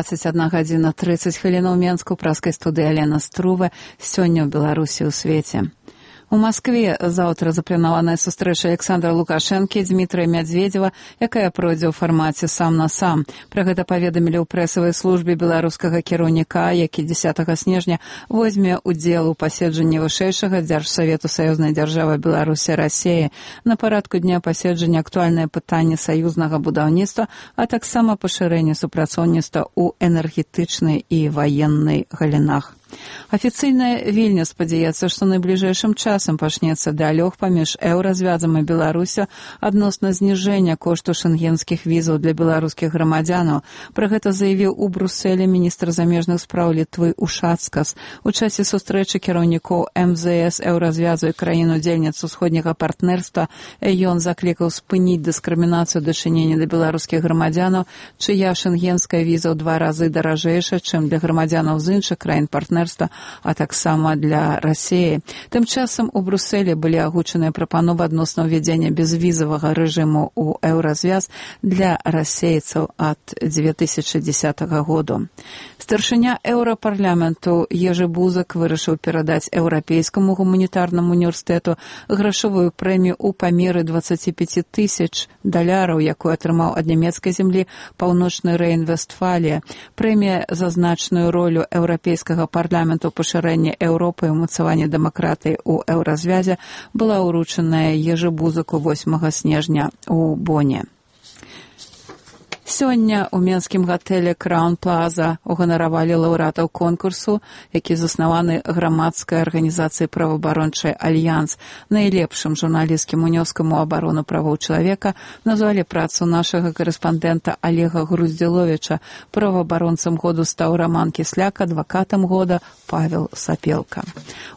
21 гадзіна 30 хвілінаў Менску, праскай студыі Алена Струве, сёння ў Беларусі ў свеце. У Маскве заўтра запланаваная сустрэча Александра Лукашэнкі і Дмітрия Мядзведзева, якая пройдзе ў фармаце сам на сам. Пра гэта паведамілі ў прэсавай службе беларускага кіраўніка, які 10 снежня возьме ўдзел у паседжанні вышэйшага дзяржсавету саюзнай дзяржавы Беларусі Расіі. На парадку дня паседжання актуальнае пытанне саюзнага будаўніцтва, а таксама пашырэнне супрацоўніцтва ў энергетычнай і ваеннай галінах. Афіцыйная Вільня спадзяецца, што найбліжэйшым часам пачнецца дыялог паміж еўразвязам і Беларусю адносна зніжэння кошту шэнгенскіх візаў для беларускіх грамадзянаў. Пра гэта заявіў у Брусэлі міністр замежных спраў Літвы Ушацкас. У часе сустрэчы кіраўнікоў МЗС еўразвязу і краін-удзельніц усходняга партнерства ён заклікаў спыніць дыскрымінацыю дачынення да беларускіх грамадзянаў, чыя шэнгенская віза ў 2 разы даражэйшая, чым для грамадзянаў з іншых краін партнерства, а таксама для Расіі. Тым часам у Брусэлі былі агучаныя прапановы адносна ўвядзення безвізавага рэжыму ў еўразвяз для расейцаў ад 2010 году. Старшыня еўрапарламенту Ежы Бузак вырашыў перадаць Еўрапейскаму гуманітарнаму універсітэту грашовую прэмію ў памеры $25 000, якую атрымаў ад нямецкай зямлі Паўночны Рэйн-Вестфалія. Прэмія за значную ролю еўрапейскага парламенту пашырэння Еўропы і ўмацавання дэмакратыі ў еўразвязе была ўручаная Ежы Бузаку 8 снежня ў Боне. Сёння ў менскім гатэлі Краун Плаза уганаравалі лаўрэатаў конкурсу, які заснаваны грамадскай арганізацыяй праваабарончай Альянс. Найлепшым журналісцкім унёскам у абарону правоў чалавека назвалі працу нашага карэспандэнта Олега Груздзіловіча. Праваабаронцам году стаў Роман Кісляк, адвакатам года Павел Сапелка.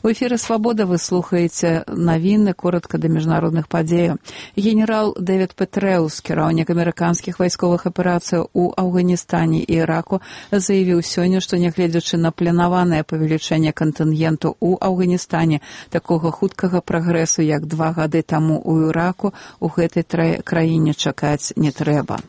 У эфіры «Свабода» вы слухаеце навіны коратка да міжнародных падзеяў. Генерал Дэвід Петрэус, кіраўнік амерыканскіх вайсковых аперацый у Афганістане і Іраку, заявіў сёння, што нягледзячы на планаванае павелічэнне кантынгенту ў Афганістане, такога хуткага прагрэсу, як 2 гады таму ў Іраку, у гэтай краіне чакаць не трэба.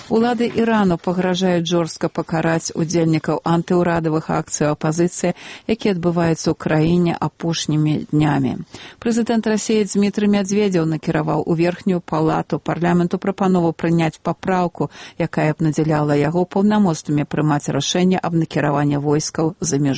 Улады Ірану пагражаюць жорстка пакараць удзельнікаў антыўрадавых акцый апазіцыі, якія адбываюцца ў краіне апошнімі днямі. Прэзідэнт Расіі Дмітрий Мядзведзеў накіраваў у верхнюю палату парламенту прапанову прыняць папраўку, якая б надзяляла яго паўнамоцтвамі прымаць рашэнне аб накіраванні войскаў за мяжу.